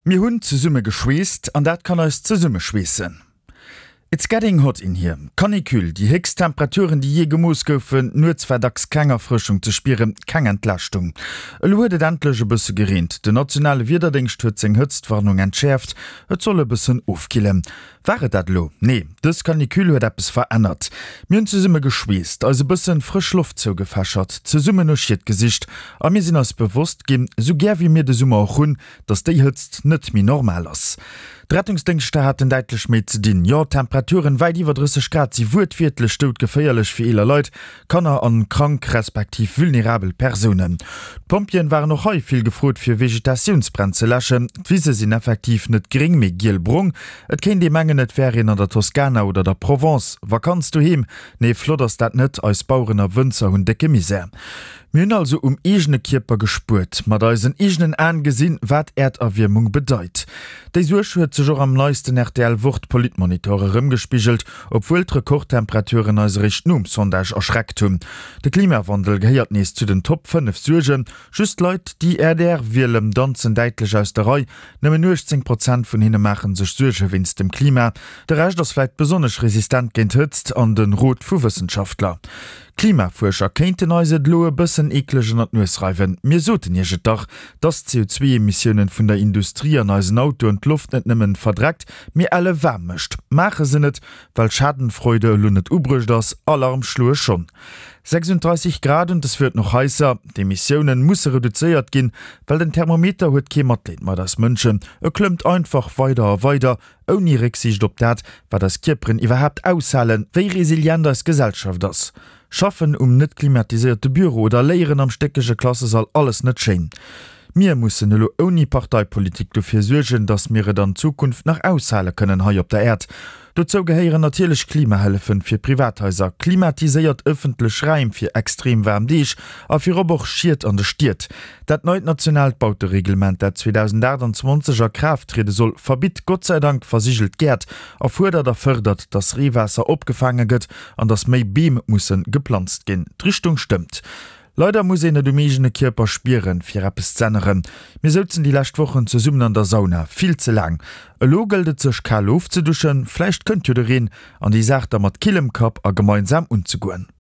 Mir hunn zesumme geschweesst an dat kann eis zesummeschweessen. It's getting hot in here. Canicule, déi héchst Temperaturen, déi jee gemooss goufen. Nuets war dacks keng Erfrëschung ze spieren, keng Entlaaschtung. Elo huet et endlech e bësse gereent. Den nationale Wiederdéngscht huet seng Hëtztwarnung entschäerft, et soll e bëssen ofkillen. War et dat elo? Nee, dës Canicule huet eppes verännert. Mir hunn zesumme geschweesst, eis e bëssen frësch Loft zougefächert, zesummen no Schied gesicht a mir sinn eis bewosst ginn, sou gär wéi mir de Summer och hunn, dass déi Hëtzt net méi normal ass. D'Rettungsdéngschter haten däitlech méi ze dinn. Jo, Temperaturen wäit iwwer 30 Grad si wuertwiertlech doudgeféierlech fir eeler Leit, Kanner an krank respektiv vulnerabel Persounen. D'Pompjeeën waren och hei vill gefrot fir Vegetatiounsbränn ze läschen. D'Wise sinn effektiv net gréng mee giel-brong. Et kéint ee mengen et wär een an der Toskana oder der Provence. Vakanz doheem? Nee, flott ass dat net. Eis Baueren a Wënzer hunn décke Misär. Mir hunn also um eegene Kierper gespuert, mat eisen eegenen Aen gesinn, wat Äerderwiermung bedeit. Déi Suerg huet sech och am neisten rtl Wort Politmonitor erëmgespigelt, obwuel d'Rekordtemperaturen eis eréischt nom Sondage erschreckt hunn. De Klimawandel gehéiert nees zu den Top 5 Suergen. Just Leit, déi rdr wielen, danzen däitlech aus der Rei. Nëmmen 18 Prozent vun hinne maache sech Suerge wéinst dem Klima. De Rescht ass vläit besonnesch resistent géint Hëtzt an de Rot vu Wëssenschaftler. Klimafuerscher kéinten eis et elo e bëssen eekleg ënner d'Nues reiwen. Mir soten iech et dach, dass d'CO2-Emissiounen vun der Industrie an eisen Autoen d'Loft net nëmmen verdreckt, mee elle waarm mécht. Maache se net, well Schadenfreude elo net ubruecht ass. Alarm schloe schonn 36 Grad und es wird noch heißer. D'Emissiounen musse reduzéiert ginn, well den Thermometer huet kee Matleed mat eis Mënschen. E klëmmt einfach weider a weider, ouni Récksiicht op dat, wat eis Kierperen iwwerhaapt aushalen, wéi resilient eis Gesellschaft ass. Schaffen um net klimatiséierte Büro oder Léieren am stéckege Klassesall, alles net schéin. Mir mussen elo ouni Parteipolitik dofir suergen, datt mir et an Zukunft nach aushale kënnen hei op der Äerd. Dozou gehéieren natierlech Klimahëllefen fir Privathaiser, klimatiséiert ëffentlech Räim fir extrem waarm Deeg a virop och Schied an de Stied. Dat neit nationaalt Bautereglement, dat 2028 a Kraaft triede soll, verbitt Gott sei Dank versigelt Gäert a fuerdert a fërdert, datt Reewaasser opgefaange gëtt an datt méi Beem musse geplanzt ginn. D'Richtung stëmmt. Leider muss een et um eegene Kierper spieren, fir eppes z'änneren. Mir souzen déi lescht Wochen zesummen an der Sauna, vill ze laang. Elo gëllt et sech kal ofzeduschen, vläicht kënnt jo de Reen, an déi Saach da mat killem Kapp a gemeinsam unzegoen.